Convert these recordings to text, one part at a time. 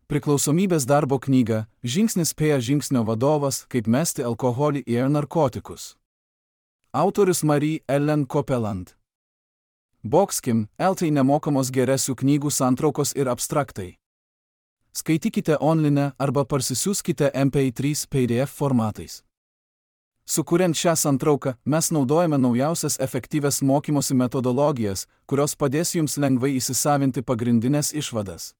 Priklausomybės darbo knyga Žingsnis prie žingsnio vadovas, kaip mesti alkoholį ir narkotikus. Autorius Marie-Ellen Copeland. Boxkim, LT nemokamos geresių knygų santraukos ir abstraktai. Skaitykite online arba parsisiųskite MP3 PDF formatais. Sukuriant šią santrauką, mes naudojame naujausias efektyvias mokymosi metodologijas, kurios padės jums lengvai įsisavinti pagrindinės išvadas.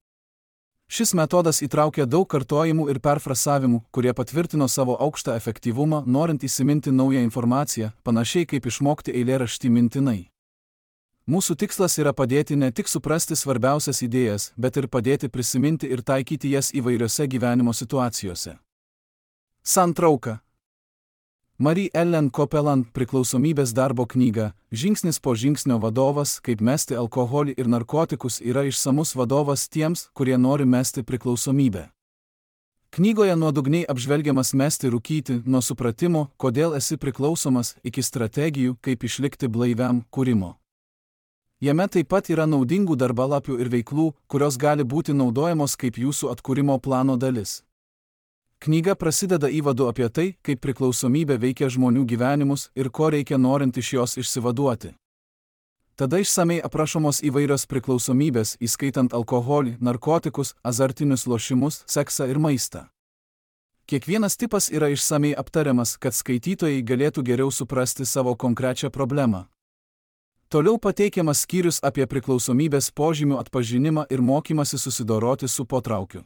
Šis metodas įtraukia daug kartojimų ir perfrasavimų, kurie patvirtino savo aukštą efektyvumą, norint įsiminti naują informaciją, panašiai kaip išmokti eilėraštį mintinai. Mūsų tikslas yra padėti ne tik suprasti svarbiausias idėjas, bet ir padėti prisiminti ir taikyti jas įvairiose gyvenimo situacijose. Santrauka. Marie-Ellen Copeland priklausomybės darbo knyga Žingsnis po žingsnio vadovas, kaip mesti alkoholį ir narkotikus yra išsamus vadovas tiems, kurie nori mesti priklausomybę. Knygoje nuodugniai apžvelgiamas mesti rūkyti nuo supratimo, kodėl esi priklausomas, iki strategijų, kaip išlikti blaiviam kūrimo. Jame taip pat yra naudingų darbalapių ir veiklų, kurios gali būti naudojamos kaip jūsų atkūrimo plano dalis. Knyga prasideda įvadu apie tai, kaip priklausomybė veikia žmonių gyvenimus ir ko reikia norint iš jos išsivaduoti. Tada išsamei aprašomos įvairios priklausomybės, įskaitant alkoholį, narkotikus, azartinius lošimus, seksą ir maistą. Kiekvienas tipas yra išsamei aptariamas, kad skaitytojai galėtų geriau suprasti savo konkrečią problemą. Toliau pateikiamas skyrius apie priklausomybės požymių atpažinimą ir mokymasi susidoroti su potraukiu.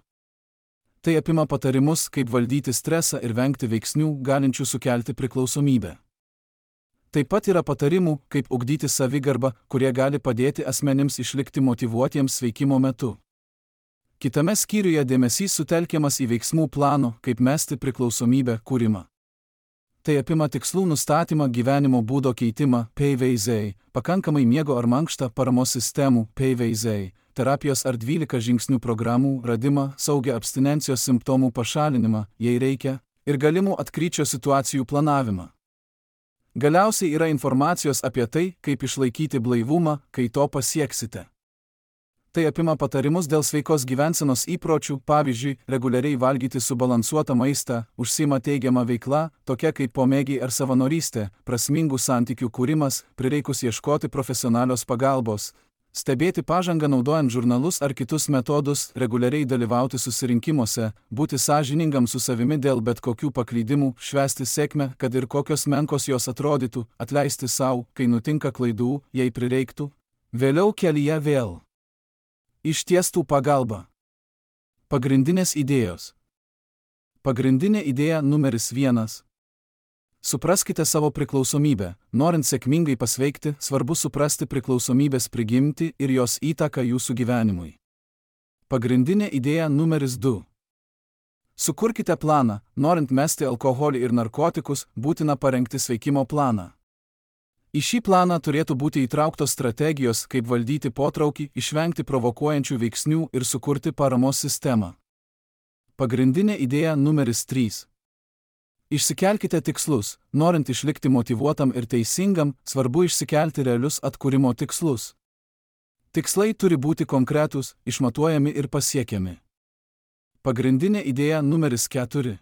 Tai apima patarimus, kaip valdyti stresą ir vengti veiksnių, galinčių sukelti priklausomybę. Taip pat yra patarimų, kaip ugdyti savigarbą, kurie gali padėti asmenims išlikti motyvuotiems sveikimo metu. Kitame skyriuje dėmesys sutelkiamas į veiksmų plano, kaip mesti priklausomybę kūrimą. Tai apima tikslų nustatymą, gyvenimo būdo keitimą, PVZ, pakankamai miego ar mankštą, paramos sistemų, PVZ, terapijos ar 12 žingsnių programų radimą, saugią abstinencijos simptomų pašalinimą, jei reikia, ir galimų atkryčio situacijų planavimą. Galiausiai yra informacijos apie tai, kaip išlaikyti blaivumą, kai to pasieksite. Tai apima patarimus dėl sveikos gyvensenos įpročių, pavyzdžiui, reguliariai valgyti subalansuotą maistą, užsiima teigiamą veiklą, tokia kaip pomėgiai ar savanorystė, prasmingų santykių kūrimas, prireikus ieškoti profesionalios pagalbos, stebėti pažangą naudojant žurnalus ar kitus metodus, reguliariai dalyvauti susirinkimuose, būti sąžiningam su savimi dėl bet kokių paklydimų, švęsti sėkmę, kad ir kokios menkos jos atrodytų, atleisti sau, kai nutinka klaidų, jei prireiktų, vėliau kelyje vėl. Ištiestų pagalba. Pagrindinės idėjos. Pagrindinė idėja numeris 1. Supraskite savo priklausomybę. Norint sėkmingai pasveikti, svarbu suprasti priklausomybės prigimtį ir jos įtaką jūsų gyvenimui. Pagrindinė idėja numeris 2. Sukurkite planą. Norint mesti alkoholį ir narkotikus, būtina parengti sveikimo planą. Į šį planą turėtų būti įtrauktos strategijos, kaip valdyti potraukį, išvengti provokuojančių veiksnių ir sukurti paramos sistemą. Pagrindinė idėja numeris 3. Išsikelkite tikslus. Norint išlikti motyvuotam ir teisingam, svarbu išsikelti realius atkūrimo tikslus. Tikslai turi būti konkretūs, išmatuojami ir pasiekiami. Pagrindinė idėja numeris 4.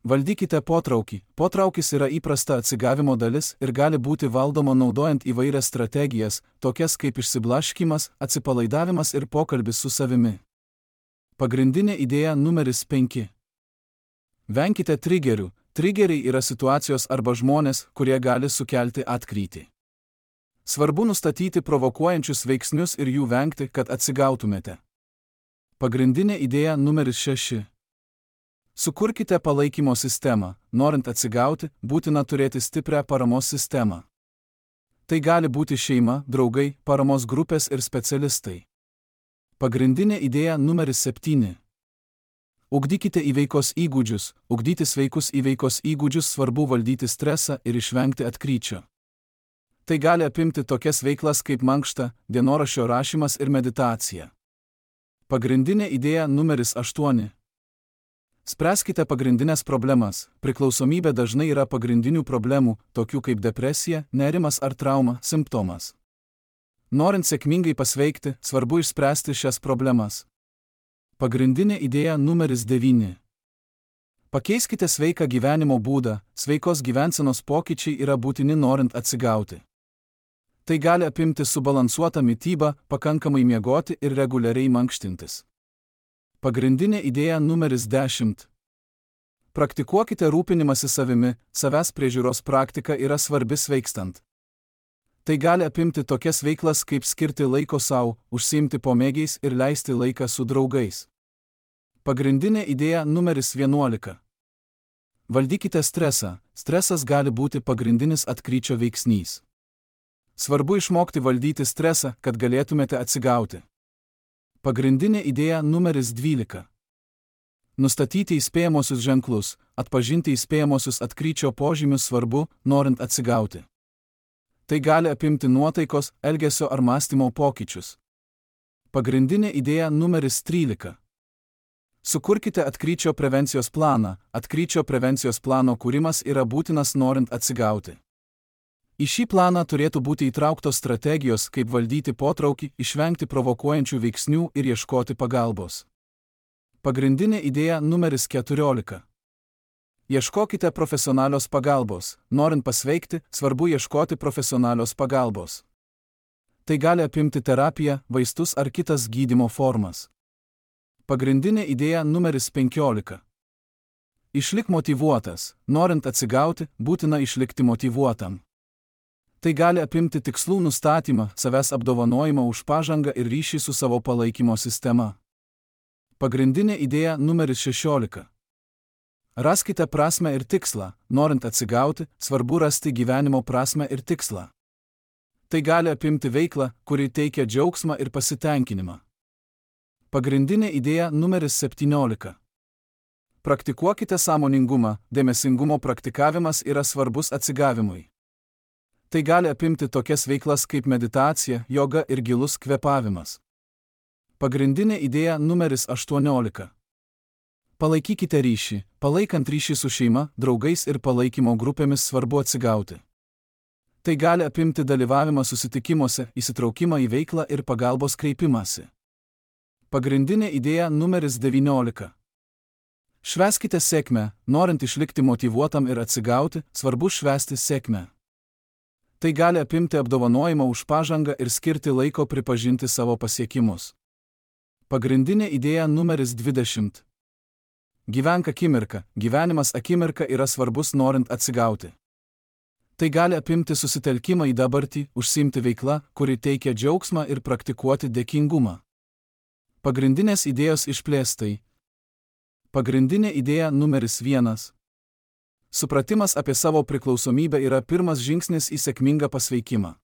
Valdykite potraukį. Potraukis yra įprasta atsigavimo dalis ir gali būti valdoma naudojant įvairias strategijas, tokias kaip išsiblaškymas, atsipalaidavimas ir pokalbis su savimi. Pagrindinė idėja numeris 5. Venkite trigerių. Trigeriai yra situacijos arba žmonės, kurie gali sukelti atkrytį. Svarbu nustatyti provokuojančius veiksnius ir jų vengti, kad atsigautumėte. Pagrindinė idėja numeris 6. Sukurkite palaikymo sistemą. Norint atsigauti, būtina turėti stiprią paramos sistemą. Tai gali būti šeima, draugai, paramos grupės ir specialistai. Pagrindinė idėja numeris 7. Ugdykite įveikos įgūdžius. Ugdyti sveikus įveikos įgūdžius svarbu valdyti stresą ir išvengti atkryčio. Tai gali apimti tokias veiklas kaip mankšta, dienoraščio rašymas ir meditacija. Pagrindinė idėja numeris 8. Spręskite pagrindinės problemas. Priklausomybė dažnai yra pagrindinių problemų, tokių kaip depresija, nerimas ar trauma, simptomas. Norint sėkmingai pasveikti, svarbu išspręsti šias problemas. Pagrindinė idėja numeris 9. Pakeiskite sveiką gyvenimo būdą, sveikos gyvensenos pokyčiai yra būtini norint atsigauti. Tai gali apimti subalansuotą mitybą, pakankamai miegoti ir reguliariai mankštintis. Pagrindinė idėja numeris 10. Praktikuokite rūpinimąsi savimi, savęs priežiūros praktika yra svarbi sveikstant. Tai gali apimti tokias veiklas kaip skirti laiko sau, užsiimti pomėgiais ir leisti laiką su draugais. Pagrindinė idėja numeris 11. Valdykite stresą. Stresas gali būti pagrindinis atkryčio veiksnys. Svarbu išmokti valdyti stresą, kad galėtumėte atsigauti. Pagrindinė idėja numeris 12. Nustatyti įspėjamosius ženklus, atpažinti įspėjamosius atkryčio požymius svarbu, norint atsigauti. Tai gali apimti nuotaikos, elgesio ar mąstymo pokyčius. Pagrindinė idėja numeris 13. Sukurkite atkryčio prevencijos planą. Atkryčio prevencijos plano kūrimas yra būtinas norint atsigauti. Į šį planą turėtų būti įtrauktos strategijos, kaip valdyti potraukį, išvengti provokuojančių veiksnių ir ieškoti pagalbos. Pagrindinė idėja numeris 14. Ieškokite profesionalios pagalbos. Norint pasveikti, svarbu ieškoti profesionalios pagalbos. Tai gali apimti terapiją, vaistus ar kitas gydymo formas. Pagrindinė idėja numeris 15. Išlik motyvuotas. Norint atsigauti, būtina išlikti motyvuotam. Tai gali apimti tikslų nustatymą, savęs apdovanojimą už pažangą ir ryšį su savo palaikymo sistema. Pagrindinė idėja numeris 16. Raskite prasmę ir tikslą. Norint atsigauti, svarbu rasti gyvenimo prasmę ir tikslą. Tai gali apimti veiklą, kuri teikia džiaugsmą ir pasitenkinimą. Pagrindinė idėja numeris 17. Praktikuokite sąmoningumą. Dėmesingumo praktikavimas yra svarbus atsigavimui. Tai gali apimti tokias veiklas kaip meditacija, joga ir gilus kvėpavimas. Pagrindinė idėja numeris 18. Palaikykite ryšį. Palaikant ryšį su šeima, draugais ir palaikymo grupėmis svarbu atsigauti. Tai gali apimti dalyvavimą susitikimuose, įsitraukimą į veiklą ir pagalbos kreipimąsi. Pagrindinė idėja numeris 19. Švęskite sėkmę. Norint išlikti motyvuotam ir atsigauti, svarbu švęsti sėkmę. Tai gali apimti apdovanojimą už pažangą ir skirti laiko pripažinti savo pasiekimus. Pagrindinė idėja numeris 20. Gyvenk akimirką. Gyvenimas akimirka yra svarbus norint atsigauti. Tai gali apimti susitelkimą į dabartį, užsiimti veiklą, kuri teikia džiaugsmą ir praktikuoti dėkingumą. Pagrindinės idėjos išplėstai. Pagrindinė idėja numeris 1. Supratimas apie savo priklausomybę yra pirmas žingsnis į sėkmingą pasveikimą.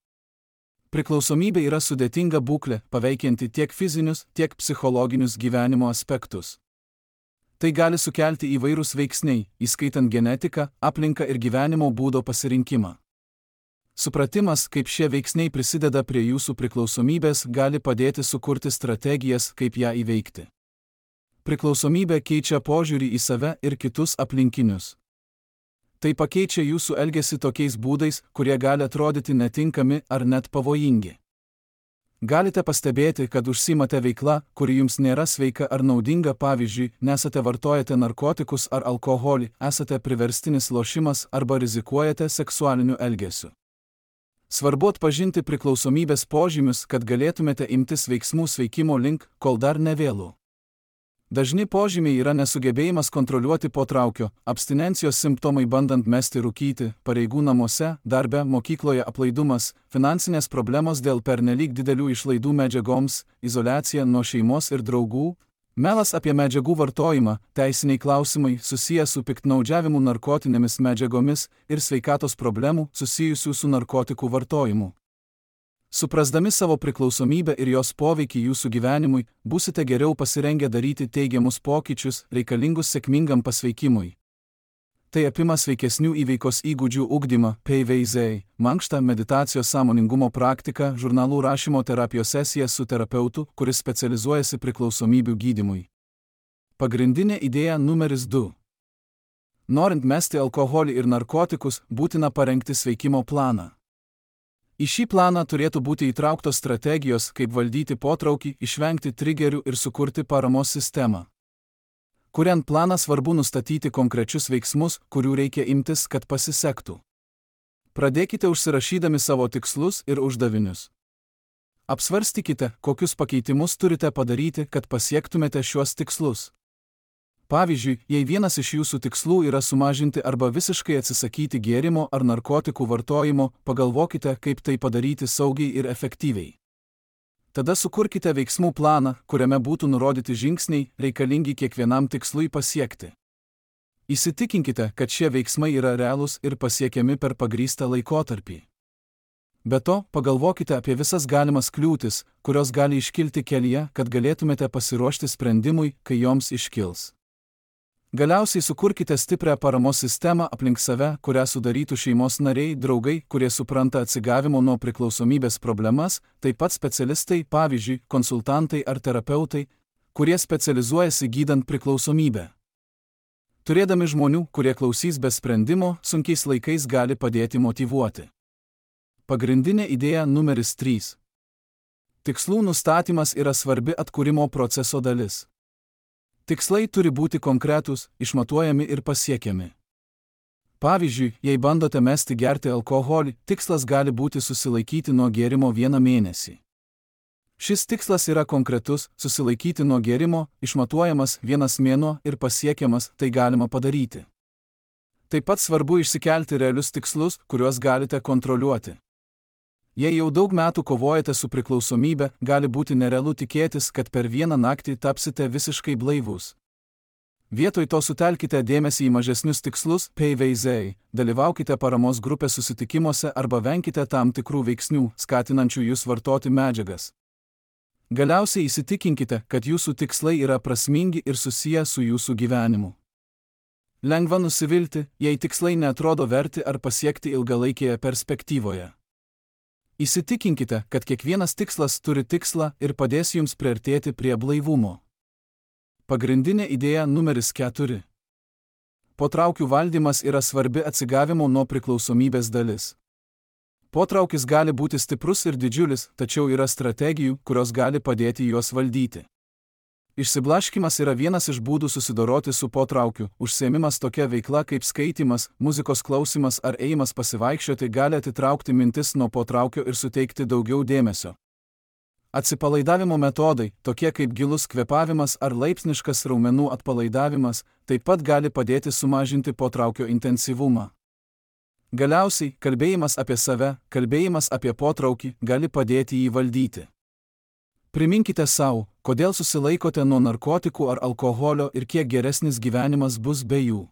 Priklausomybė yra sudėtinga būklė, paveikianti tiek fizinius, tiek psichologinius gyvenimo aspektus. Tai gali sukelti įvairūs veiksniai, įskaitant genetiką, aplinką ir gyvenimo būdo pasirinkimą. Supratimas, kaip šie veiksniai prisideda prie jūsų priklausomybės, gali padėti sukurti strategijas, kaip ją įveikti. Priklausomybė keičia požiūrį į save ir kitus aplinkinius. Tai pakeičia jūsų elgesį tokiais būdais, kurie gali atrodyti netinkami ar net pavojingi. Galite pastebėti, kad užsiimate veikla, kuri jums nėra sveika ar naudinga, pavyzdžiui, nesate vartojate narkotikus ar alkoholį, esate priverstinis lošimas arba rizikuojate seksualiniu elgesiu. Svarbu atpažinti priklausomybės požymius, kad galėtumėte imtis veiksmų sveikimo link, kol dar nevėlu. Dažni požymiai yra nesugebėjimas kontroliuoti potraukio, abstinencijos simptomai bandant mesti rūkyti, pareigų namuose, darbe, mokykloje aplaidumas, finansinės problemos dėl pernelyg didelių išlaidų medžiagoms, izoliacija nuo šeimos ir draugų, melas apie medžiagų vartojimą, teisiniai klausimai susiję su piktnaudžiavimu narkotinėmis medžiagomis ir sveikatos problemų susijusių su narkotikų vartojimu. Suprasdami savo priklausomybę ir jos poveikį jūsų gyvenimui, būsite geriau pasirengę daryti teigiamus pokyčius, reikalingus sėkmingam pasveikimui. Tai apima sveikesnių įveikos įgūdžių ugdymą, PVZ, mankštą, meditacijos sąmoningumo praktiką, žurnalų rašymo terapijos sesijas su terapeutu, kuris specializuojasi priklausomybių gydymui. Pagrindinė idėja numeris 2. Norint mesti alkoholį ir narkotikus, būtina parengti sveikimo planą. Į šį planą turėtų būti įtrauktos strategijos, kaip valdyti potraukį, išvengti trigerių ir sukurti paramos sistemą. Kuriant planą svarbu nustatyti konkrečius veiksmus, kurių reikia imtis, kad pasisektų. Pradėkite užsirašydami savo tikslus ir uždavinius. Apsvarstykite, kokius pakeitimus turite padaryti, kad pasiektumėte šiuos tikslus. Pavyzdžiui, jei vienas iš jūsų tikslų yra sumažinti arba visiškai atsisakyti gėrimo ar narkotikų vartojimo, pagalvokite, kaip tai padaryti saugiai ir efektyviai. Tada sukurkite veiksmų planą, kuriame būtų nurodyti žingsniai, reikalingi kiekvienam tikslui pasiekti. Įsitikinkite, kad šie veiksmai yra realūs ir pasiekiami per pagrįstą laikotarpį. Be to, pagalvokite apie visas galimas kliūtis, kurios gali iškilti kelyje, kad galėtumėte pasiruošti sprendimui, kai joms iškils. Galiausiai sukurkite stiprią paramos sistemą aplink save, kurią sudarytų šeimos nariai, draugai, kurie supranta atsigavimo nuo priklausomybės problemas, taip pat specialistai, pavyzdžiui, konsultantai ar terapeutai, kurie specializuojasi gydant priklausomybę. Turėdami žmonių, kurie klausys be sprendimo, sunkiais laikais gali padėti motyvuoti. Pagrindinė idėja numeris 3. Tikslų nustatymas yra svarbi atkūrimo proceso dalis. Tikslai turi būti konkretūs, išmatuojami ir pasiekiami. Pavyzdžiui, jei bandote mesti gerti alkoholį, tikslas gali būti susilaikyti nuo gėrimo 1 mėnesį. Šis tikslas yra konkretus, susilaikyti nuo gėrimo, išmatuojamas 1 mėnuo ir pasiekiamas, tai galima padaryti. Taip pat svarbu išsikelti realius tikslus, kuriuos galite kontroliuoti. Jei jau daug metų kovojate su priklausomybe, gali būti nerealu tikėtis, kad per vieną naktį tapsite visiškai blaivūs. Vietoj to sutelkite dėmesį į mažesnius tikslus, PVZ, dalyvaukite paramos grupės susitikimuose arba venkite tam tikrų veiksnių, skatinančių jūs vartoti medžiagas. Galiausiai įsitikinkite, kad jūsų tikslai yra prasmingi ir susiję su jūsų gyvenimu. Lengva nusivilti, jei tikslai neatrodo verti ar pasiekti ilgalaikėje perspektyvoje. Įsitikinkite, kad kiekvienas tikslas turi tikslą ir padės jums priartėti prie blaivumo. Pagrindinė idėja numeris 4. Potraukių valdymas yra svarbi atsigavimo nuo priklausomybės dalis. Potraukis gali būti stiprus ir didžiulis, tačiau yra strategijų, kurios gali padėti juos valdyti. Išsiblaškymas yra vienas iš būdų susidoroti su potraukiu. Užsiėmimas tokia veikla kaip skaitymas, muzikos klausimas ar ėjimas pasivaikščioti gali atitraukti mintis nuo potraukio ir suteikti daugiau dėmesio. Atsipalaidavimo metodai, tokie kaip gilus kvėpavimas ar laipsniškas raumenų atpalaidavimas, taip pat gali padėti sumažinti potraukio intensyvumą. Galiausiai, kalbėjimas apie save, kalbėjimas apie potraukį gali padėti jį valdyti. Priminkite savo, kodėl susilaikote nuo narkotikų ar alkoholio ir kiek geresnis gyvenimas bus be jų.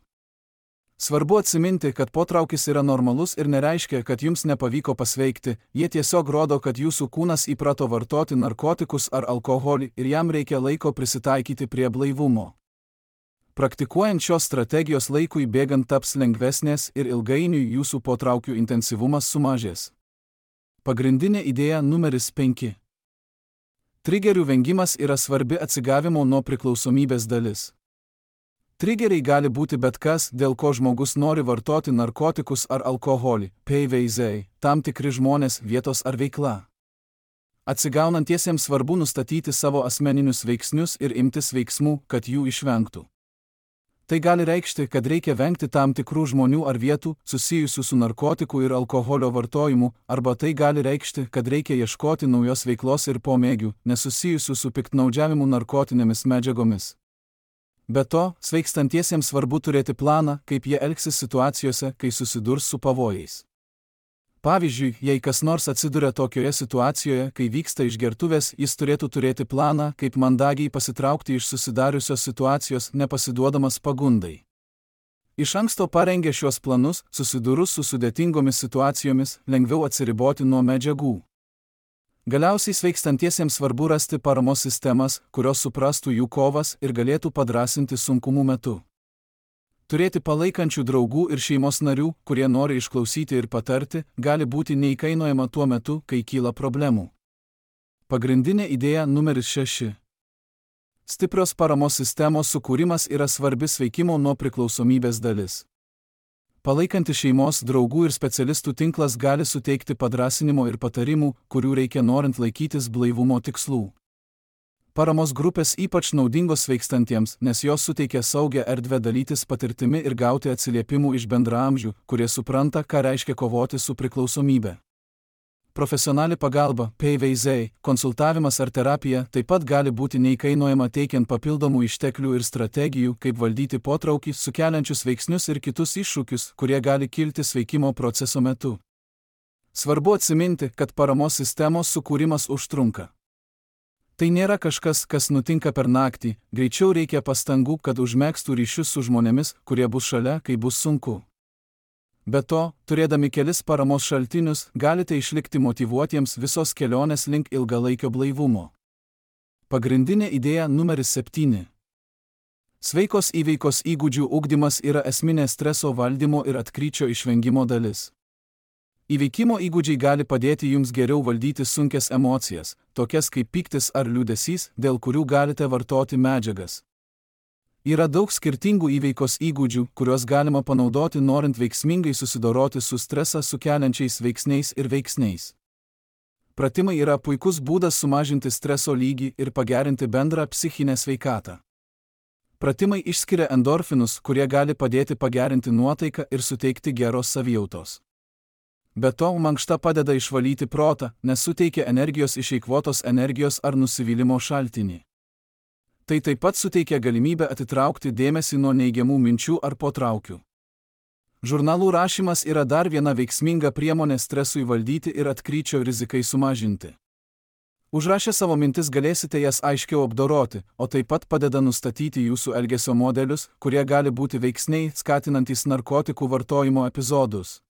Svarbu atsiminti, kad potraukis yra normalus ir nereiškia, kad jums nepavyko pasveikti, jie tiesiog rodo, kad jūsų kūnas įprato vartoti narkotikus ar alkoholį ir jam reikia laiko prisitaikyti prie blaivumo. Praktikuojant šios strategijos laikui bėgant taps lengvesnės ir ilgainiui jūsų potraukių intensyvumas sumažės. Pagrindinė idėja numeris 5. Trigerių vengimas yra svarbi atsigavimo nuo priklausomybės dalis. Trigeriai gali būti bet kas, dėl ko žmogus nori vartoti narkotikus ar alkoholį, PVZ, tam tikri žmonės, vietos ar veikla. Atsigaunantiesiems svarbu nustatyti savo asmeninius veiksnius ir imtis veiksmų, kad jų išvengtų. Tai gali reikšti, kad reikia vengti tam tikrų žmonių ar vietų, susijusių su narkotikų ir alkoholio vartojimu, arba tai gali reikšti, kad reikia ieškoti naujos veiklos ir pomėgių, nesusijusių su piktnaudžiavimu narkotinėmis medžiagomis. Be to, sveikstantiesiems svarbu turėti planą, kaip jie elgsis situacijose, kai susidurs su pavojais. Pavyzdžiui, jei kas nors atsiduria tokioje situacijoje, kai vyksta išgertuvės, jis turėtų turėti planą, kaip mandagiai pasitraukti iš susidariusios situacijos, nepasiduodamas pagundai. Iš anksto parengę šios planus, susidūrus su sudėtingomis situacijomis, lengviau atsiriboti nuo medžiagų. Galiausiai sveikstantiesiems svarbu rasti paramos sistemas, kurios suprastų jų kovas ir galėtų padrąsinti sunkumų metu. Turėti palaikančių draugų ir šeimos narių, kurie nori išklausyti ir patarti, gali būti neįkainojama tuo metu, kai kyla problemų. Pagrindinė idėja numeris 6. Stiprios paramos sistemos sukūrimas yra svarbi sveikimo nuo priklausomybės dalis. Palaikantis šeimos, draugų ir specialistų tinklas gali suteikti padrąsinimo ir patarimų, kurių reikia norint laikytis blaivumo tikslų. Paramos grupės ypač naudingos sveikstantiems, nes jos suteikia saugią erdvę dalytis patirtimi ir gauti atsiliepimų iš bendraamžių, kurie supranta, ką reiškia kovoti su priklausomybe. Profesionali pagalba, PVZ, konsultavimas ar terapija taip pat gali būti neįkainojama teikiant papildomų išteklių ir strategijų, kaip valdyti potraukį, sukeliančius veiksnius ir kitus iššūkius, kurie gali kilti sveikimo proceso metu. Svarbu atsiminti, kad paramos sistemos sukūrimas užtrunka. Tai nėra kažkas, kas nutinka per naktį, greičiau reikia pastangų, kad užmegztų ryšius su žmonėmis, kurie bus šalia, kai bus sunku. Be to, turėdami kelis paramos šaltinius, galite išlikti motyvuotiems visos kelionės link ilgalaikio blaivumo. Pagrindinė idėja numeris 7. Sveikos įveikos įgūdžių ugdymas yra esminė streso valdymo ir atkryčio išvengimo dalis. Įveikimo įgūdžiai gali padėti jums geriau valdyti sunkias emocijas, tokias kaip pyktis ar liūdesys, dėl kurių galite vartoti medžiagas. Yra daug skirtingų įveikos įgūdžių, kuriuos galima panaudoti norint veiksmingai susidoroti su stresą sukeliančiais veiksniais ir veiksniais. Pratimai yra puikus būdas sumažinti streso lygį ir pagerinti bendrą psichinę sveikatą. Pratimai išskiria endorfinus, kurie gali padėti pagerinti nuotaiką ir suteikti geros savijautos. Be to, mankšta padeda išvalyti protą, nes suteikia energijos išeikvotos energijos ar nusivylimo šaltinį. Tai taip pat suteikia galimybę atitraukti dėmesį nuo neigiamų minčių ar potraukių. Žurnalų rašymas yra dar viena veiksminga priemonė stresui valdyti ir atkryčio rizikai sumažinti. Užrašę savo mintis galėsite jas aiškiau apdoroti, o taip pat padeda nustatyti jūsų elgesio modelius, kurie gali būti veiksniai, skatinantys narkotikų vartojimo epizodus.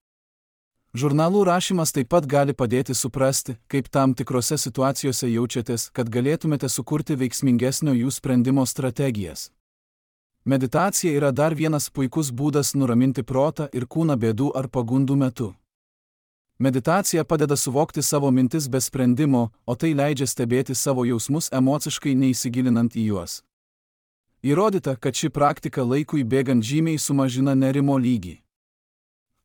Žurnalų rašymas taip pat gali padėti suprasti, kaip tam tikrose situacijose jaučiatės, kad galėtumėte sukurti veiksmingesnio jų sprendimo strategijas. Meditacija yra dar vienas puikus būdas nuraminti protą ir kūną bėdų ar pagundų metu. Meditacija padeda suvokti savo mintis be sprendimo, o tai leidžia stebėti savo jausmus emociškai neįsigilinant į juos. Įrodyta, kad ši praktika laikui bėgant žymiai sumažina nerimo lygį.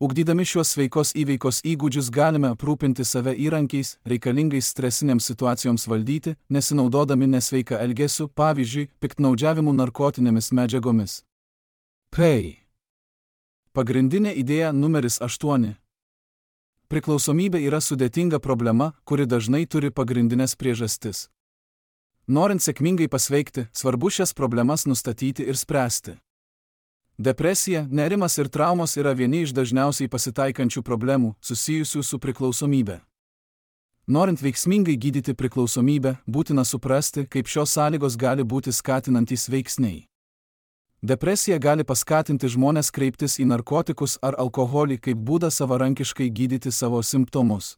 Ugdydami šiuos sveikos įveikos įgūdžius galime aprūpinti save įrankiais, reikalingais stresinėms situacijoms valdyti, nesinaudodami nesveiką elgesiu, pavyzdžiui, piktnaudžiavimu narkotinėmis medžiagomis. Pagrindinė idėja numeris 8. Priklausomybė yra sudėtinga problema, kuri dažnai turi pagrindinės priežastis. Norint sėkmingai pasveikti, svarbu šias problemas nustatyti ir spręsti. Depresija, nerimas ir traumos yra vieni iš dažniausiai pasitaikančių problemų, susijusių su priklausomybe. Norint veiksmingai gydyti priklausomybę, būtina suprasti, kaip šios sąlygos gali būti skatinantys veiksniai. Depresija gali paskatinti žmones kreiptis į narkotikus ar alkoholį kaip būdą savarankiškai gydyti savo simptomus.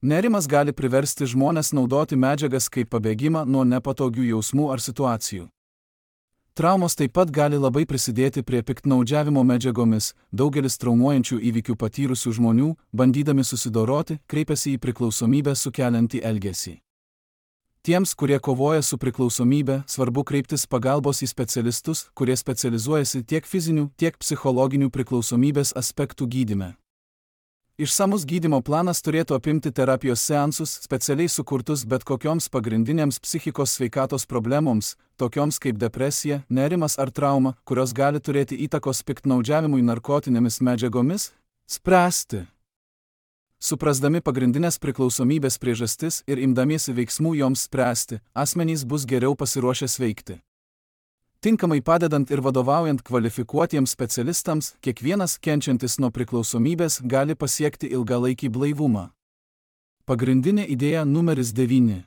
Nerimas gali priversti žmones naudoti medžiagas kaip pabėgimą nuo nepatogių jausmų ar situacijų. Traumos taip pat gali labai prisidėti prie piktnaudžiavimo medžiagomis, daugelis traumuojančių įvykių patyrusių žmonių, bandydami susidoroti, kreipiasi į priklausomybę sukeliantį elgesį. Tiems, kurie kovoja su priklausomybe, svarbu kreiptis pagalbos į specialistus, kurie specializuojasi tiek fizinių, tiek psichologinių priklausomybės aspektų gydyme. Išsamus gydymo planas turėtų apimti terapijos seansus, specialiai sukurtus bet kokioms pagrindinėms psichikos sveikatos problemoms, tokioms kaip depresija, nerimas ar trauma, kurios gali turėti įtakos piktnaudžiavimui narkotinėmis medžiagomis, spręsti. Suprasdami pagrindinės priklausomybės priežastis ir imdamiesi veiksmų joms spręsti, asmenys bus geriau pasiruošę sveikti. Tinkamai padedant ir vadovaujant kvalifikuotiems specialistams, kiekvienas kenčiantis nuo priklausomybės gali pasiekti ilgalaikį blaivumą. Pagrindinė idėja numeris 9.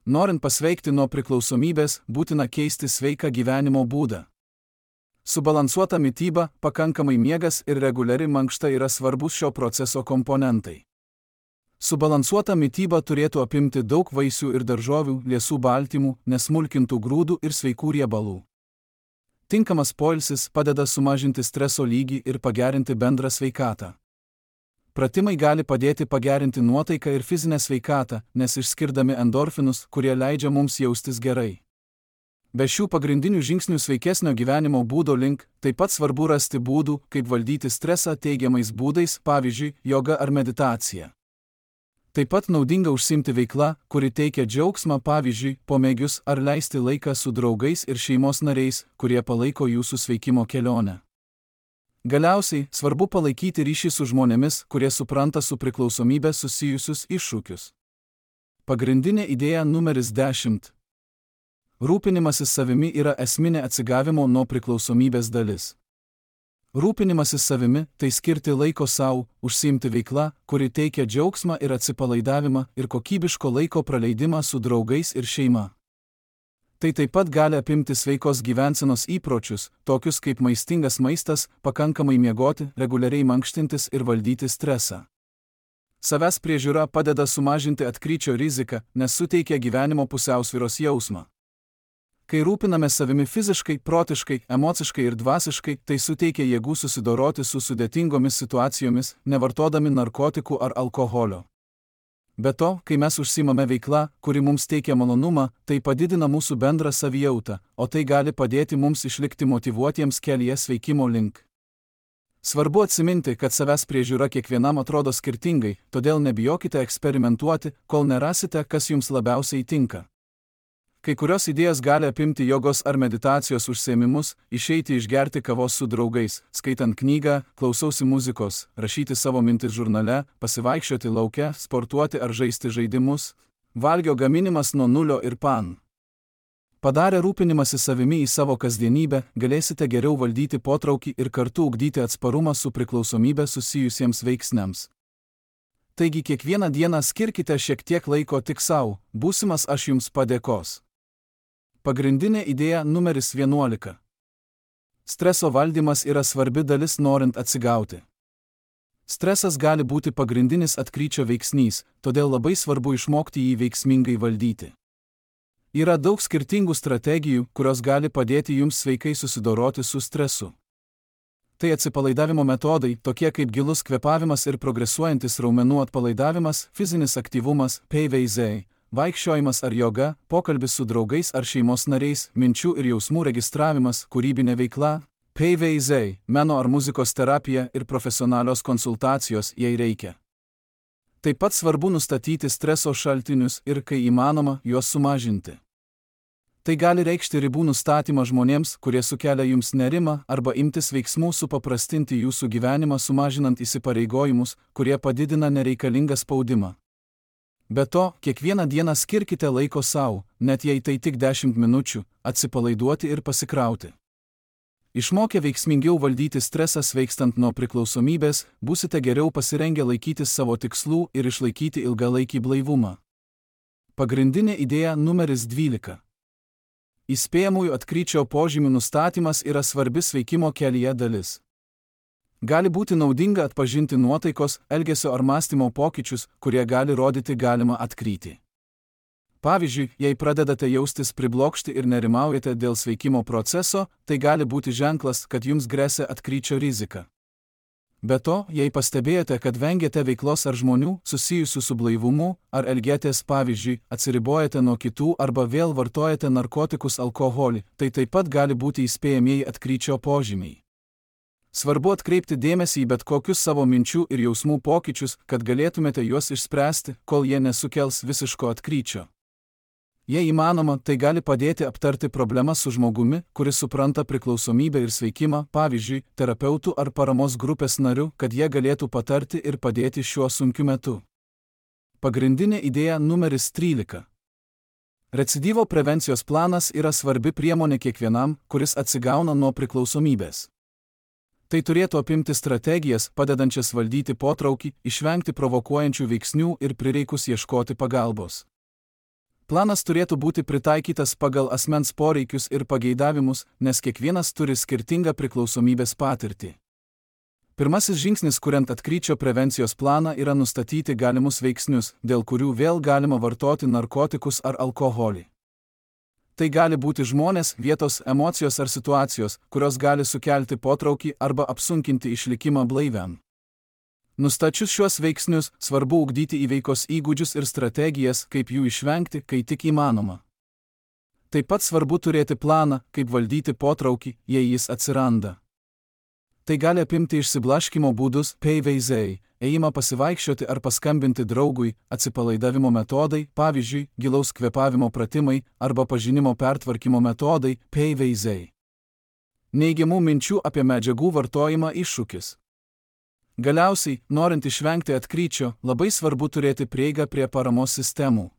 Norint pasveikti nuo priklausomybės, būtina keisti sveiką gyvenimo būdą. Subalansuota mityba, pakankamai miegas ir reguliari mankšta yra svarbus šio proceso komponentai. Subalansuota mityba turėtų apimti daug vaisių ir daržovių, liesų baltymų, nesmulkintų grūdų ir sveikų riebalų. Tinkamas poilsis padeda sumažinti streso lygį ir pagerinti bendrą sveikatą. Pratimai gali padėti pagerinti nuotaiką ir fizinę sveikatą, nes išskirdami endorfinus, kurie leidžia mums jaustis gerai. Be šių pagrindinių žingsnių sveikesnio gyvenimo būdo link, taip pat svarbu rasti būdų, kaip valdyti stresą teigiamais būdais, pavyzdžiui, joga ar meditacija. Taip pat naudinga užsiimti veikla, kuri teikia džiaugsmą, pavyzdžiui, pomėgius ar leisti laiką su draugais ir šeimos nariais, kurie palaiko jūsų sveikimo kelionę. Galiausiai, svarbu palaikyti ryšį su žmonėmis, kurie supranta su priklausomybė susijusius iššūkius. Pagrindinė idėja numeris 10. Rūpinimasis savimi yra esminė atsigavimo nuo priklausomybės dalis. Rūpinimasis savimi – tai skirti laiko sau, užsiimti veikla, kuri teikia džiaugsmą ir atsipalaidavimą ir kokybiško laiko praleidimą su draugais ir šeima. Tai taip pat gali apimti sveikos gyvensenos įpročius, tokius kaip maistingas maistas, pakankamai miegoti, reguliariai mankštintis ir valdyti stresą. Savęs priežiūra padeda sumažinti atkryčio riziką, nes suteikia gyvenimo pusiausvyros jausmą. Kai rūpiname savimi fiziškai, protiškai, emociškai ir dvasiškai, tai suteikia jėgų susidoroti su sudėtingomis situacijomis, nevartodami narkotikų ar alkoholio. Be to, kai mes užsiimame veikla, kuri mums teikia malonumą, tai padidina mūsų bendrą savijautą, o tai gali padėti mums išlikti motyvuotiems kelyje sveikimo link. Svarbu atsiminti, kad savęs priežiūra kiekvienam atrodo skirtingai, todėl nebijokite eksperimentuoti, kol nerasite, kas jums labiausiai tinka. Kai kurios idėjos gali apimti jogos ar meditacijos užsiėmimus, išeiti išgerti kavos su draugais, skaitant knygą, klausausi muzikos, rašyti savo mintis žurnale, pasivaikščioti lauke, sportuoti ar žaisti žaidimus, valgio gaminimas nuo nulio ir pan. Padarę rūpinimąsi savimi į savo kasdienybę, galėsite geriau valdyti potraukį ir kartu ugdyti atsparumą su priklausomybė susijusiems veiksniams. Taigi kiekvieną dieną skirkite šiek tiek laiko tik sau, būsimas aš jums padėkos. Pagrindinė idėja numeris 11. Streso valdymas yra svarbi dalis norint atsigauti. Stresas gali būti pagrindinis atkryčio veiksnys, todėl labai svarbu išmokti jį veiksmingai valdyti. Yra daug skirtingų strategijų, kurios gali padėti jums sveikai susidoroti su stresu. Tai atsipalaidavimo metodai, tokie kaip gilus kvėpavimas ir progresuojantis raumenų atpalaidavimas, fizinis aktyvumas, PVZ, vaikščiojimas ar joga, pokalbis su draugais ar šeimos nariais, minčių ir jausmų registravimas, kūrybinė veikla, PVZ, meno ar muzikos terapija ir profesionalios konsultacijos, jei reikia. Taip pat svarbu nustatyti streso šaltinius ir, kai įmanoma, juos sumažinti. Tai gali reikšti ribų nustatymą žmonėms, kurie sukelia jums nerimą, arba imtis veiksmų supaprastinti jūsų gyvenimą sumažinant įsipareigojimus, kurie padidina nereikalingą spaudimą. Be to, kiekvieną dieną skirkite laiko sau, net jei tai tik 10 minučių, atsipalaiduoti ir pasikrauti. Išmokę veiksmingiau valdyti stresą sveikstant nuo priklausomybės, būsite geriau pasirengę laikytis savo tikslų ir išlaikyti ilgalaikį blaivumą. Pagrindinė idėja numeris 12. Įspėjamųjų atkryčio požymių nustatymas yra svarbi sveikimo kelyje dalis. Gali būti naudinga atpažinti nuotaikos, elgesio ar mąstymo pokyčius, kurie gali rodyti galimą atkrytį. Pavyzdžiui, jei pradedate jaustis priblokšti ir nerimaujate dėl sveikimo proceso, tai gali būti ženklas, kad jums gresia atkryčio rizika. Be to, jei pastebėjote, kad vengiate veiklos ar žmonių, susijusių su blaivumu, ar elgiatės, pavyzdžiui, atsiribojate nuo kitų arba vėl vartojate narkotikus alkoholį, tai taip pat gali būti įspėjamieji atkryčio požymiai. Svarbu atkreipti dėmesį į bet kokius savo minčių ir jausmų pokyčius, kad galėtumėte juos išspręsti, kol jie nesukels visiško atkryčio. Jei įmanoma, tai gali padėti aptarti problemas su žmogumi, kuris supranta priklausomybę ir sveikimą, pavyzdžiui, terapeutų ar paramos grupės nariu, kad jie galėtų patarti ir padėti šiuo sunkiu metu. Pagrindinė idėja numeris 13. Recidyvo prevencijos planas yra svarbi priemonė kiekvienam, kuris atsigauna nuo priklausomybės. Tai turėtų apimti strategijas, padedančias valdyti potraukį, išvengti provokuojančių veiksnių ir prireikus ieškoti pagalbos. Planas turėtų būti pritaikytas pagal asmens poreikius ir pageidavimus, nes kiekvienas turi skirtingą priklausomybės patirtį. Pirmasis žingsnis, kuriant atkryčio prevencijos planą, yra nustatyti galimus veiksnius, dėl kurių vėl galima vartoti narkotikus ar alkoholį. Tai gali būti žmonės, vietos, emocijos ar situacijos, kurios gali sukelti potraukį arba apsunkinti išlikimą blaiviam. Nustačius šiuos veiksnius, svarbu ugdyti įveikos įgūdžius ir strategijas, kaip jų išvengti, kai tik įmanoma. Taip pat svarbu turėti planą, kaip valdyti potraukį, jei jis atsiranda. Tai gali apimti išsiblaškymo būdus, veizai, ėjimą pasivaikščioti ar paskambinti draugui, atsipalaidavimo metodai, pavyzdžiui, gilaus kvėpavimo pratimai arba pažinimo pertvarkymo metodai, veizai. Neigiamų minčių apie medžiagų vartojimą iššūkis. Galiausiai, norint išvengti atkryčio, labai svarbu turėti prieigą prie paramos sistemų.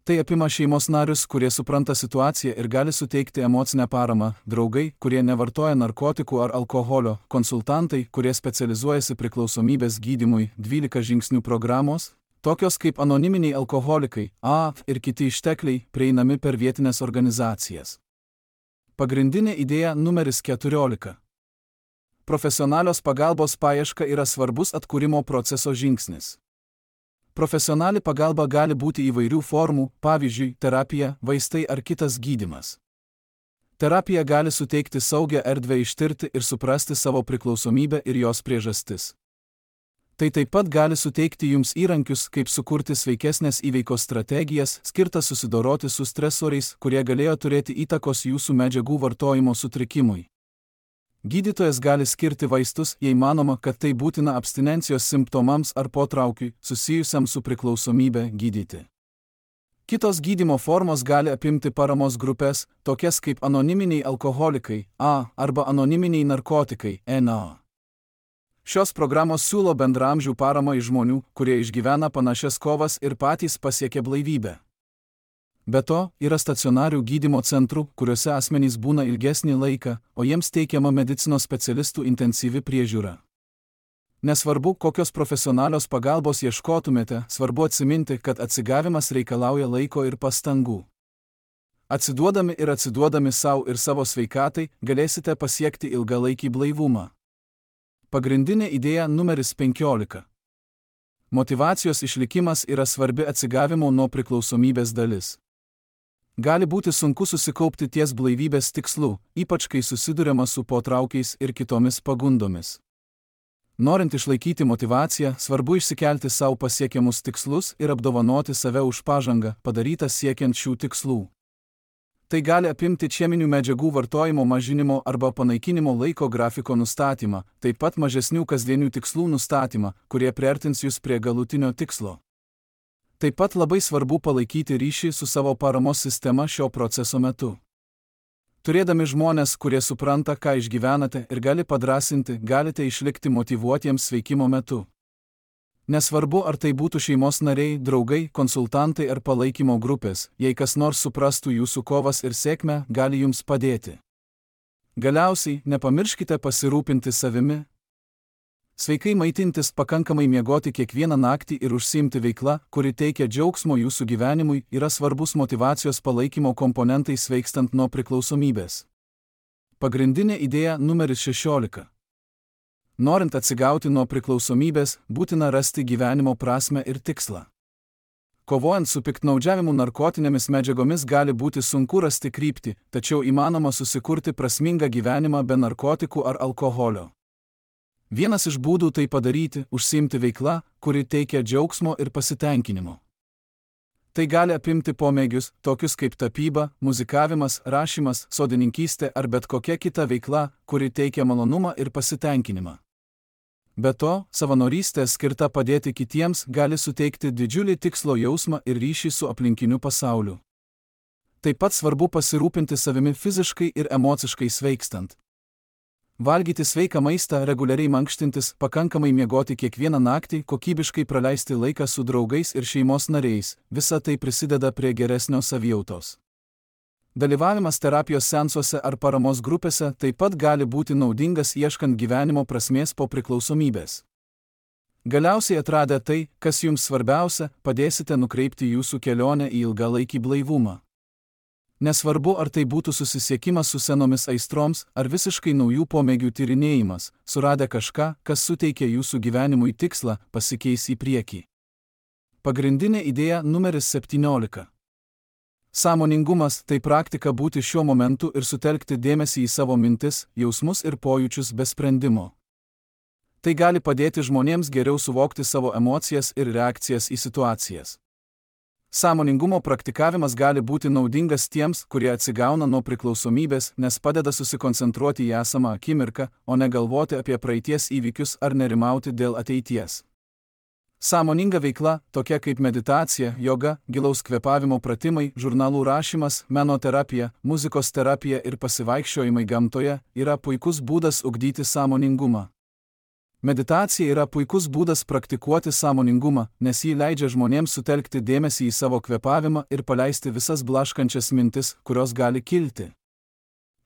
Tai apima šeimos narius, kurie supranta situaciją ir gali suteikti emocinę paramą, draugai, kurie nevartoja narkotikų ar alkoholio, konsultantai, kurie specializuojasi priklausomybės gydymui, 12 žingsnių programos, tokios kaip anoniminiai alkoholikai, ir kiti ištekliai, prieinami per vietinės organizacijas. Pagrindinė idėja numeris 14. Profesionalios pagalbos paieška yra svarbus atkūrimo proceso žingsnis. Profesionali pagalba gali būti įvairių formų, pavyzdžiui, terapija, vaistai ar kitas gydymas. Terapija gali suteikti saugią erdvę ištirti ir suprasti savo priklausomybę ir jos priežastis. Tai taip pat gali suteikti jums įrankius, kaip sukurti sveikesnės įveikos strategijas, skirtas susidoroti su stresoriais, kurie galėjo turėti įtakos jūsų medžiagų vartojimo sutrikimui. Gydytojas gali skirti vaistus, jei manoma, kad tai būtina abstinencijos simptomams ar potraukiui, susijusiam su priklausomybe, gydyti. Kitos gydymo formos gali apimti paramos grupės, tokias kaip anoniminiai alkoholikai, arba anoniminiai narkotikai, NA. Šios programos siūlo bendraamžių paramą iš žmonių, kurie išgyvena panašias kovas ir patys pasiekia blaivybę. Be to, yra stacionarių gydymo centrų, kuriuose asmenys būna ilgesnį laiką, o jiems teikiama medicinos specialistų intensyvi priežiūra. Nesvarbu, kokios profesionalios pagalbos ieškotumėte, svarbu atsiminti, kad atsigavimas reikalauja laiko ir pastangų. Atsiduodami savo ir savo sveikatai, galėsite pasiekti ilgalaikį blaivumą. Pagrindinė idėja numeris 15. Motyvacijos išlikimas yra svarbi atsigavimo nuo priklausomybės dalis. Gali būti sunku susikaupti ties blaivybės tikslu, ypač kai susiduriama su potraukiais ir kitomis pagundomis. Norint išlaikyti motyvaciją, svarbu išsikelti savo pasiekiamus tikslus ir apdovanoti save už pažangą, padarytą siekiant šių tikslų. Tai gali apimti cheminių medžiagų vartojimo mažinimo arba panaikinimo laiko grafiko nustatymą, taip pat mažesnių kasdienių tikslų nustatymą, kurie priartins jūs prie galutinio tikslo. Taip pat labai svarbu palaikyti ryšį su savo paramos sistema šio proceso metu. Turėdami žmonės, kurie supranta, ką išgyvenate ir gali padrąsinti, galite išlikti motyvuotiems sveikimo metu. Nesvarbu, ar tai būtų šeimos nariai, draugai, konsultantai ar palaikymo grupės, jei kas nors suprastų jūsų kovas ir sėkmę, gali jums padėti. Galiausiai, nepamirškite pasirūpinti savimi. Sveikai maitintis, pakankamai miegoti kiekvieną naktį ir užsiimti veiklą, kuri teikia džiaugsmo jūsų gyvenimui, yra svarbus motyvacijos palaikymo komponentai sveikstant nuo priklausomybės. Pagrindinė idėja numeris 16. Norint atsigauti nuo priklausomybės, būtina rasti gyvenimo prasmę ir tikslą. Kovojant su piktnaudžiavimu narkotinėmis medžiagomis gali būti sunku rasti kryptį, tačiau įmanoma susikurti prasmingą gyvenimą be narkotikų ar alkoholio. Vienas iš būdų tai padaryti – užsiimti veikla, kuri teikia džiaugsmo ir pasitenkinimo. Tai gali apimti pomėgius, tokius kaip tapyba, muzikavimas, rašymas, sodininkystė ar bet kokia kita veikla, kuri teikia malonumą ir pasitenkinimą. Be to, savanorystė skirta padėti kitiems gali suteikti didžiulį tikslo jausmą ir ryšį su aplinkiniu pasauliu. Taip pat svarbu pasirūpinti savimi fiziškai ir emociškai sveikstant. Valgyti sveiką maistą, reguliariai mankštintis, pakankamai miegoti kiekvieną naktį, kokybiškai praleisti laiką su draugais ir šeimos nariais – visa tai prisideda prie geresnio savijautos. Dalyvavimas terapijos seansuose ar paramos grupėse taip pat gali būti naudingas ieškant gyvenimo prasmės po priklausomybės. Galiausiai atradę tai, kas jums svarbiausia, padėsite nukreipti jūsų kelionę į ilgalaikį blaivumą. Nesvarbu, ar tai būtų susisiekimas su senomis aistroms, ar visiškai naujų pomėgių tyrinėjimas, suradę kažką, kas suteikia jūsų gyvenimui tikslą, pasikeis į priekį. Pagrindinė idėja numeris 17. Sąmoningumas – tai praktika būti šiuo momentu ir sutelkti dėmesį į savo mintis, jausmus ir pojūčius be sprendimo. Tai gali padėti žmonėms geriau suvokti savo emocijas ir reakcijas į situacijas. Sąmoningumo praktikavimas gali būti naudingas tiems, kurie atsigauna nuo priklausomybės, nes padeda susikoncentruoti į esamą akimirką, o ne galvoti apie praeities įvykius ar nerimauti dėl ateities. Sąmoninga veikla, tokia kaip meditacija, joga, gilaus kvėpavimo pratimai, žurnalų rašymas, menoterapija, muzikos terapija ir pasivaikščiojimai gamtoje, yra puikus būdas ugdyti sąmoningumą. Meditacija yra puikus būdas praktikuoti sąmoningumą, nes ji leidžia žmonėms sutelkti dėmesį į savo kvėpavimą ir paleisti visas blaškančias mintis, kurios gali kilti.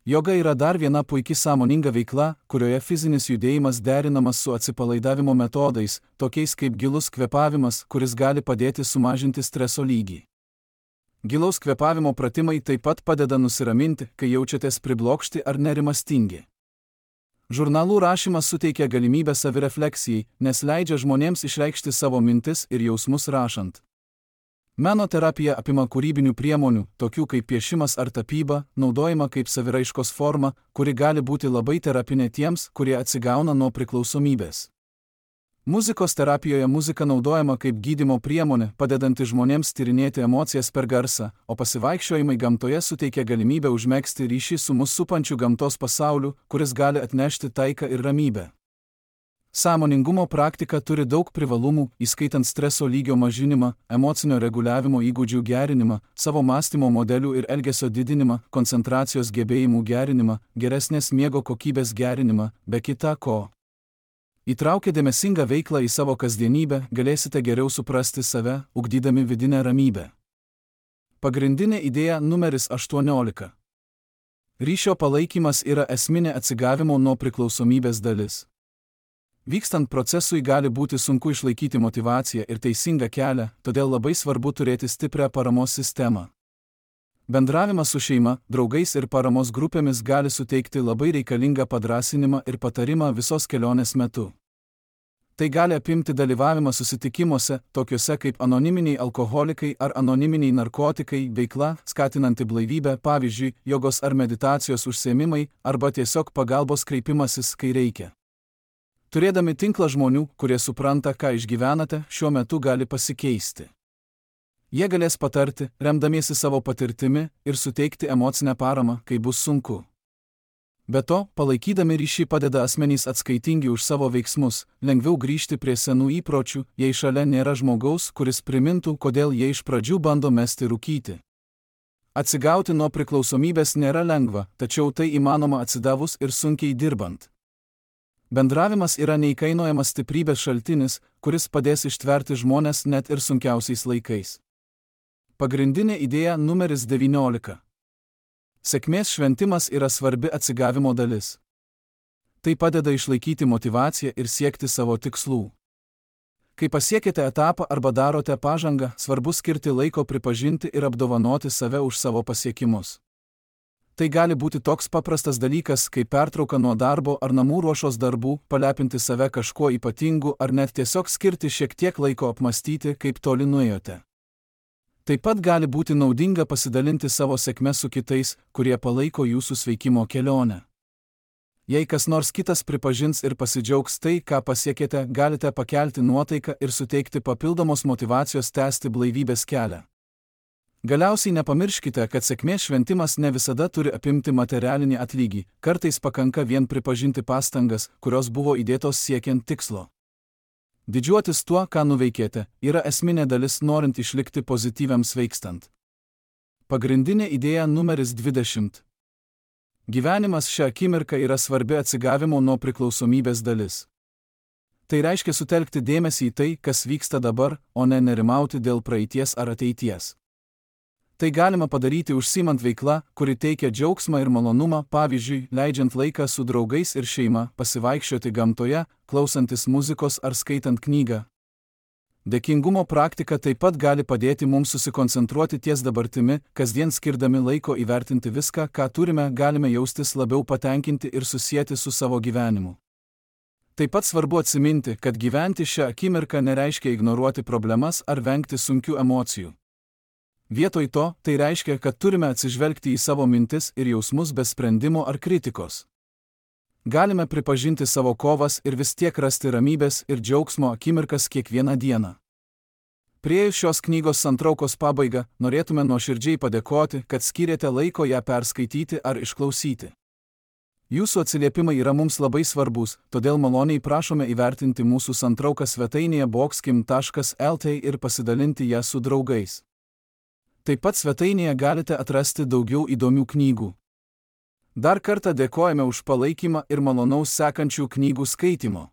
Joga yra dar viena puiki sąmoninga veikla, kurioje fizinis judėjimas derinamas su atsipalaidavimo metodais, tokiais kaip gilus kvėpavimas, kuris gali padėti sumažinti streso lygį. Gilaus kvėpavimo pratimai taip pat padeda nusiraminti, kai jaučiatės priblokšti ar nerimastingi. Žurnalų rašymas suteikia galimybę savirefleksijai, nes leidžia žmonėms išreikšti savo mintis ir jausmus rašant. Menoterapija apima kūrybinių priemonių, tokių kaip piešimas ar tapyba, naudojama kaip saviraiškos forma, kuri gali būti labai terapinė tiems, kurie atsigauna nuo priklausomybės. Muzikos terapijoje muzika naudojama kaip gydymo priemonė, padedanti žmonėms tyrinėti emocijas per garsą, o pasivaikščiojimai gamtoje suteikia galimybę užmegzti ryšį su mus supančiu gamtos pasauliu, kuris gali atnešti taiką ir ramybę. Sąmoningumo praktika turi daug privalumų, įskaitant streso lygio mažinimą, emocinio reguliavimo įgūdžių gerinimą, savo mąstymo modelių ir elgesio didinimą, koncentracijos gebėjimų gerinimą, geresnės miego kokybės gerinimą, be kita ko. Įtraukę dėmesingą veiklą į savo kasdienybę, galėsite geriau suprasti save, ugdydami vidinę ramybę. Pagrindinė idėja numeris 18. Ryšio palaikymas yra esminė atsigavimo nuo priklausomybės dalis. Vykstant procesui gali būti sunku išlaikyti motyvaciją ir teisingą kelią, todėl labai svarbu turėti stiprią paramos sistemą. Bendravimas su šeima, draugais ir paramos grupėmis gali suteikti labai reikalingą padrąsinimą ir patarimą visos kelionės metu. Tai gali apimti dalyvavimą susitikimuose, tokiuose kaip anoniminiai alkoholikai ar anoniminiai narkotikai, veikla, skatinanti blaivybę, pavyzdžiui, jogos ar meditacijos užsiėmimai, arba tiesiog pagalbos kreipimasis, kai reikia. Turėdami tinklą žmonių, kurie supranta, ką išgyvenate, šiuo metu gali pasikeisti. Jie galės patarti, remdamiesi savo patirtimi ir suteikti emocinę paramą, kai bus sunku. Be to, palaikydami ryšį padeda asmenys atskaitingi už savo veiksmus, lengviau grįžti prie senų įpročių, jei šalia nėra žmogaus, kuris primintų, kodėl jie iš pradžių bando mesti rūkyti. Atsigauti nuo priklausomybės nėra lengva, tačiau tai įmanoma atsidavus ir sunkiai dirbant. Bendravimas yra neįkainojamas stiprybės šaltinis, kuris padės ištverti žmones net ir sunkiausiais laikais. Pagrindinė idėja numeris 19. Sėkmės šventimas yra svarbi atsigavimo dalis. Tai padeda išlaikyti motyvaciją ir siekti savo tikslų. Kai pasiekite etapą arba darote pažangą, svarbu skirti laiko pripažinti ir apdovanoti save už savo pasiekimus. Tai gali būti toks paprastas dalykas, kaip pertrauka nuo darbo ar namų ruošos darbų, palepinti save kažkuo ypatingu ar net tiesiog skirti šiek tiek laiko apmąstyti, kaip toli nuėjote. Taip pat gali būti naudinga pasidalinti savo sėkme su kitais, kurie palaiko jūsų sveikimo kelionę. Jei kas nors kitas pripažins ir pasidžiaugs tai, ką pasiekėte, galite pakelti nuotaiką ir suteikti papildomos motyvacijos tęsti blaivybės kelią. Galiausiai nepamirškite, kad sėkmės šventimas ne visada turi apimti materialinį atlygį, kartais pakanka vien pripažinti pastangas, kurios buvo įdėtos siekiant tikslo. Didžiuotis tuo, ką nuveikėte, yra esminė dalis norint išlikti pozityviam sveikstant. Pagrindinė idėja numeris 20. Gyvenimas šią akimirką yra svarbi atsigavimo nuo priklausomybės dalis. Tai reiškia sutelkti dėmesį į tai, kas vyksta dabar, o ne nerimauti dėl praeities ar ateities. Tai galima padaryti užsiimant veiklą, kuri teikia džiaugsmą ir malonumą, pavyzdžiui, leidžiant laiką su draugais ir šeima, pasivaikščioti gamtoje, klausantis muzikos ar skaitant knygą. Dėkingumo praktika taip pat gali padėti mums susikoncentruoti ties dabartimi, kasdien skirdami laiko įvertinti viską, ką turime, galime jaustis labiau patenkinti ir susieti su savo gyvenimu. Taip pat svarbu atsiminti, kad gyventi šią akimirką nereiškia ignoruoti problemas ar vengti sunkių emocijų. Vietoj to, tai reiškia, kad turime atsižvelgti į savo mintis ir jausmus be sprendimo ar kritikos. Galime pripažinti savo kovas ir vis tiek rasti ramybės ir džiaugsmo akimirkas kiekvieną dieną. Priėjus šios knygos santraukos pabaigą, norėtume nuoširdžiai padėkoti, kad skyrėte laiko ją perskaityti ar išklausyti. Jūsų atsiliepimai yra mums labai svarbus, todėl maloniai prašome įvertinti mūsų santrauką svetainėje boxkim.lt ir pasidalinti ją su draugais. Taip pat svetainėje galite atrasti daugiau įdomių knygų. Dar kartą dėkojame už palaikymą ir malonaus sekančių knygų skaitimo.